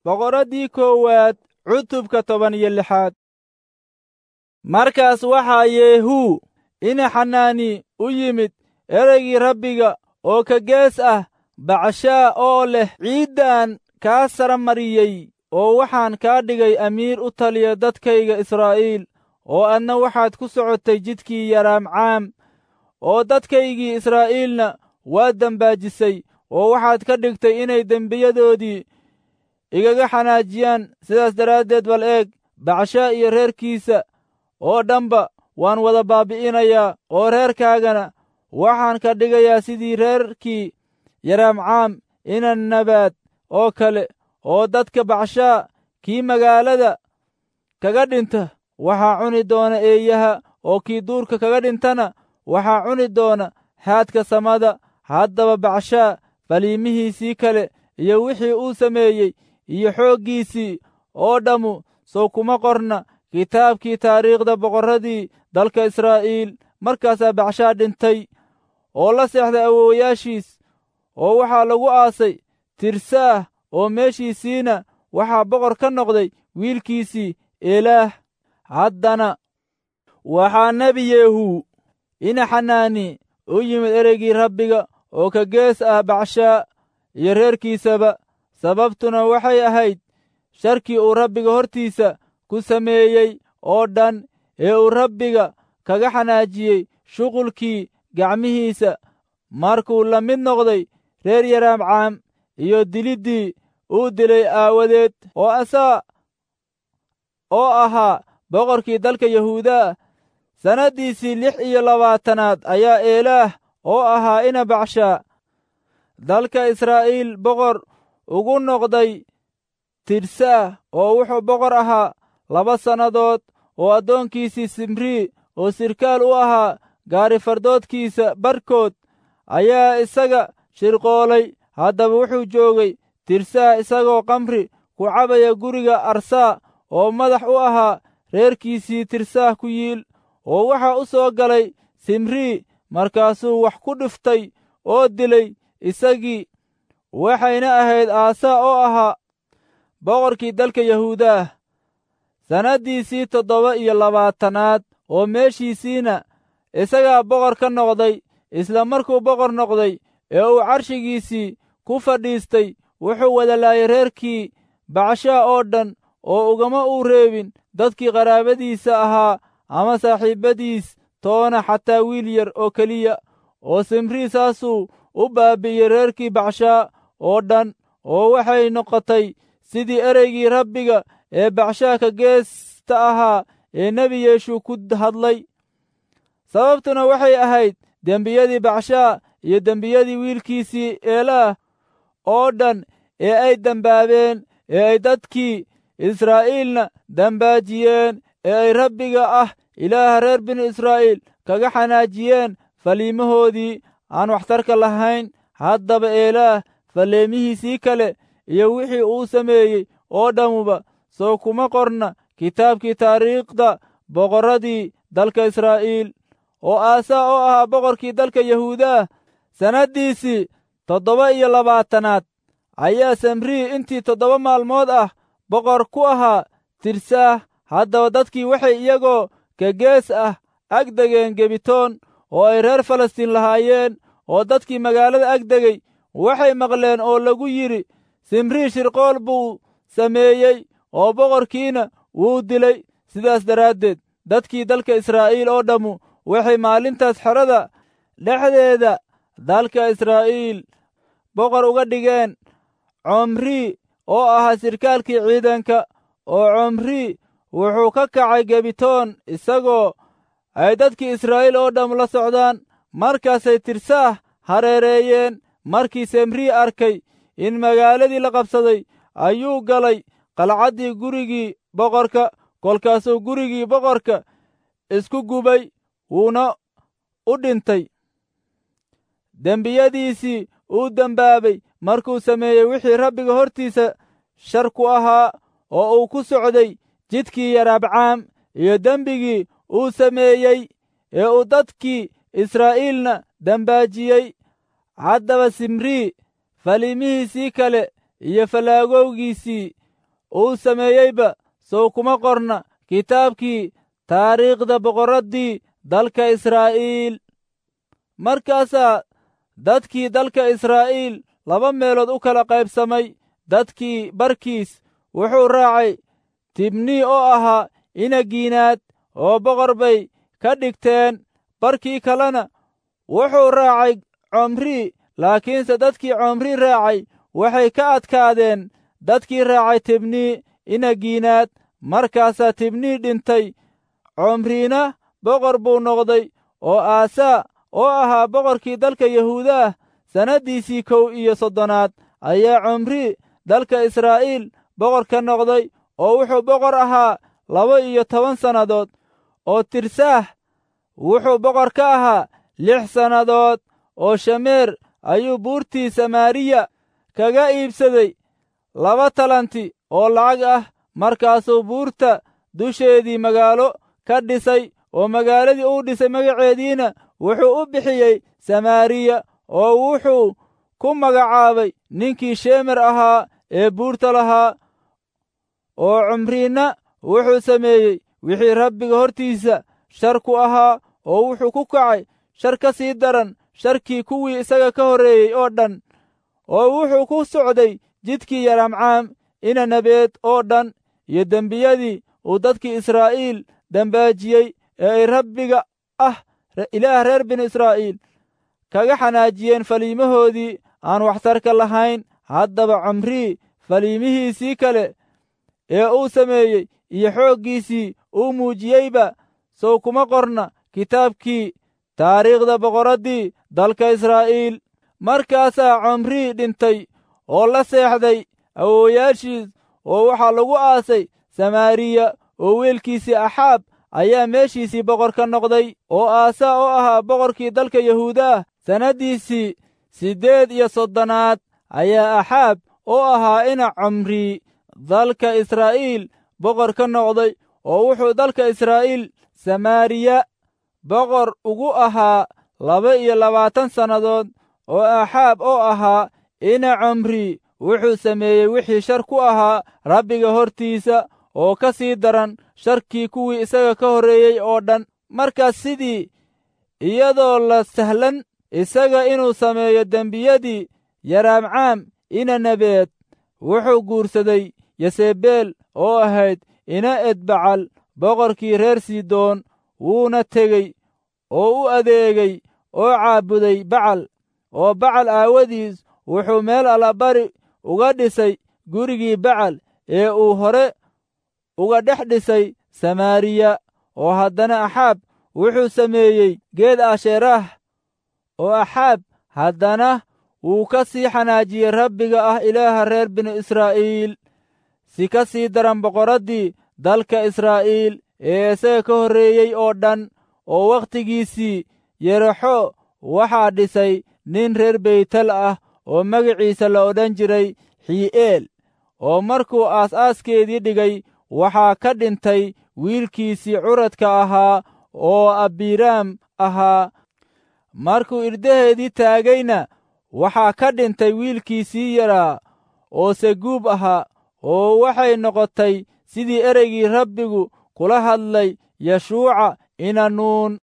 Boqoraddii koowaad cutubka 16. Markaas waxaa Yeehuu ina Xanaani u yimid ereygii Rabbiga oo ka gees ah Bacashaa oo leh, ciiddan kaa sara mariyey oo waxaan kaa dhigay amiir u taliya dadkayga Israa'iil, oo adna waxaad ku socotay jidkii Yaraamcaam, oo dadkaygii Israa'iilna waad dembaajisay, oo waxaad ka dhigtay inay dembiyadoodii igaga xanaajiyaan. Sidaas daraaddeed bal eeg, Bacshaa iyo reerkiisa oo dhanba waan wada baabbi'inayaa, oo reerkaagana waxaan ka dhigayaa sidii reerkii Yaraamcaam ina Nabaad oo kale, oo dadka Bacshaa kii magaalada kaga dhinta waxaa cuni doona eeyaha, oo kii duurka kaga dhintana waxaa cuni doona haadka samada. Haddaba Bacshaa faliimihiisii kale iyo wixii uu sameeyey iyo xooggiisii oo dhammu sow kuma qorna kitaabkii taariikhda boqorradii dalka Israa'iil. Markaasaa Bacshaa dhintay oo la seexday awowayaashiis, oo waxaa lagu aasay Tirsaah, oo meeshiisiina waxaa boqor ka noqday wiilkiisii Eelaah. Haddana waxaa nebi Yeehuu ina Xanaani u yimid ereygii Rabbiga oo ka gees ah Bacshaa iyo reerkiisaba. Sababtuna waxay ahayd sharkii uu Rabbiga hortiisa ku sameeyey oo dhan ee uu Rabbiga kaga xanaajiyey shuqulkii gacmihiisa, markuu la mid noqday reer Yaraamcaam iyo diliddii uu dilay aawadeed. Oo Asaa oo ahaa boqorkii dalka Yahuudaa sannaddiisii 26aad ayaa Eelaah oo ahaa ina Bacshaa dalka Israa'iil boqor ugu noqday Tirsaah, oo wuxuu boqor ahaa 2 sannadood. Oo addoonkiisii Simrii oo sirkaal u ahaa gaarifardoodkiisa barkood ayaa isaga shirqoolay. Haddaba wuxuu joogay Tirsaah isagoo khamri ku cabaya guriga Arsaa oo madax u ahaa reerkiisii Tirsaah ku yiil. Oo waxaa u soo galay Simrii, markaasuu wax ku dhiftay oo dilay isagii. Waxayna ahayd Aasaa oo ahaa boqorkii dalka Yahuudaah sannaddiisii 27aad, oo meeshiisiina isagaa boqor ka noqday. Isla markuu boqor noqday ee uu carshigiisii ku fadhiistay, wuxuu wada laayay reerkii Bacshaa oo dhan, oo ugama uu reebin dadkii qaraabadiisa ahaa ama saaxiibbadiis toona, xataa wiil yar oo keliya. Oo Simrii saasuu u baabbi'iyey reerkii Bacshaa oo dhan, oo waxay noqotay sidii ereygii Rabbiga ee Bacshaa ka geesta ahaa ee nebi Yeeshu ku hadlay. Sababtuna waxay ahayd dembiyadii Bacshaa iyo dembiyadii wiilkiisii Eelaah oo dhan ee ay dembaabeen, ee ay dadkii Israa'iilna dembaajiyeen, ee ay Rabbiga ah Ilaaha reer binu Israa'iil kaga xanaajiyeen faliimahoodii aan waxtarka lahayn. Haddaba Eelaah falleemihiisii kale iyo wixii uu sameeyey oo dhammuba soo kuma qorna kitaabkii taariikhda boqorradii dalka Israa'iil. Oo Aasaa oo ahaa boqorkii dalka Yahuudaah sannaddiisii 27aad ayaa Samrii intii 7 maalmood ah boqor ku ahaa Tirsaah. Haddaba dadkii waxay iyagoo ka gees ah ag degeen Gebitoon oo ay reer Falastiin lahaayeen, oo dadkii magaalada ag degay waxay maqleen oo lagu yidhi, Simrii shirqool buu sameeyey oo boqorkiina wuu dilay. Sidaas daraaddeed dadkii dalka Israa'iil oo dhammu waxay maalintaas xerada dhexdeeda dalka Israa'iil boqor uga dhigeen Comrii oo ahaa sirkaalkii ciidanka. Oo Comrii wuxuu ka kacay Gebitoon isagoo ay dadkii Israa'iil oo dhamm la socdaan. Markaasay Tirsaah hareereeyeen. Markii Semrii arkay in magaaladii la qabsaday, ayuu galay qalcaddii gurigii boqorka. Kolkaasuu gurigii boqorka isku gubay, wuuna u dhintay dembiyadiisii uu dembaabay markuu sameeyey wixii Rabbiga hortiisa shar ku ahaa, oo uu ku socday jidkii Yaraabcaam iyo dembigii uu sameeyey ee uu dadkii Israa'iilna dembaajiyey. Haddaba Simrii faliimihiisii kale iyo fallaagowgiisii uu sameeyeyba sow kuma qorna kitaabkii taariikhda boqorraddii dalka Israa'iil. Markaasaa dadkii dalka Israa'iil laba meelood u kala qaybsamay. Dadkii barkiis wuxuu raacay Tibni oo ahaa Inagiinaad, oo boqor bay ka dhigteen. Barkii kalena wuxuu raacay Comri. Laakiinse dadkii Comri raacay waxay ka adkaadeen dadkii raacay Tibni Inagiinaad. Markaasaa Tibni dhintay, Comrina boqor buu noqday. Oo Aasaa oo ahaa boqorkii dalka Yahuudaah sannaddiisii 31aad ayaa Comri dalka Israa'iil boqor ka noqday, oo wuxuu boqor ahaa 12 sannadood. Oo Tirsaah wuxuu boqor ka ahaa 6 sannadood. Oo Shameer ayuu buurtii Samaariya kaga iibsaday 2 talanti oo lacag ah. Markaasuu buurta dusheedii magaalo ka dhisay, oo magaaladii uu dhisay magaceediina wuxuu u bixiyey Samaariya, oo wuxuu ku magacaabay ninkii Shemer ahaa ee buurta lahaa. Oo Cumriina wuxuu sameeyey wixii Rabbiga hortiisa shar ku ahaa, oo wuxuu ku kacay shar ka sii daran sharkii kuwii isaga ka horreeyey oo dhan. Oo wuxuu ku socday jidkii Yaraamcaam ina Nabeed oo dhan iyo dembiyadii uu dadkii Israa'iil dembaajiyey ee ay Rabbiga ah Ilaah reer binu Israa'iil kaga xanaajiyeen faliimahoodii aan waxtarka lahayn. Haddaba Cumrii faliimihiisii kale ee uu sameeyey iyo xooggiisii uu muujiyeyba sow kuma qorna kitaabkii taariikhda boqorraddii dalka Israa'iil. Markaasaa Cumrii dhintay oo la seexday awoowayaashiis, oo waxaa lagu aasay Samaariya, oo wiilkiisii Axaab ayaa meeshiisii boqor ka noqday. Oo Aasaa oo ahaa boqorkii dalka Yahuudaah sannaddiisii 38aad ayaa Axaab oo ahaa ina Cumrii dalka Israa'iil boqor ka noqday, oo wuxuu dalka Israa'iil Samaariya boqor ugu ahaa 22 sannadood. Oo Axaab oo ahaa ina Cumrii wuxuu sameeyey wixii shar ku ahaa Rabbiga hortiisa, oo ka sii daran sharkii kuwii isaga ka horreeyey oo dhan. Markaas sidii iyadoo la sahlan isaga inuu sameeyo dembiyadii Yaraamcaam ina Nabeed, wuxuu guursaday Yasebeel oo ahayd ina Edbacal boqorkii reer Sidoon. Wuuna tegey oo u adeegay oo caabuday Bacal, oo Bacal aawadiis wuxuu meel allabari uga dhisay gurigii Bacal ee uu hore uga dhex dhisay Samaariya. Oo haddana Axaab wuxuu sameeyey geed Asheeraah, oo Axaab haddana wuu ka sii xanaajiyey Rabbiga ah Ilaaha reer binu Israa'iil, si ka sii daran boqorraddii dalka Israa'iil ee isaga ka horreeyey oo dhan. Oo wakhtigiisii Yerexo waxaa dhisay nin reer Beytel ah oo magaciisa la odhan jiray Xii'eel. Oo markuu aas-aaskeedii dhigay waxaa ka dhintay wiilkiisii curadka ahaa oo Abiraam ahaa. Markuu irdaheedii taagayna waxaa ka dhintay wiilkiisii yaraa oo Seguub ahaa. Oo waxay noqotay sidii ereygii Rabbigu kula hadlay Yeshuuca ina Nuun.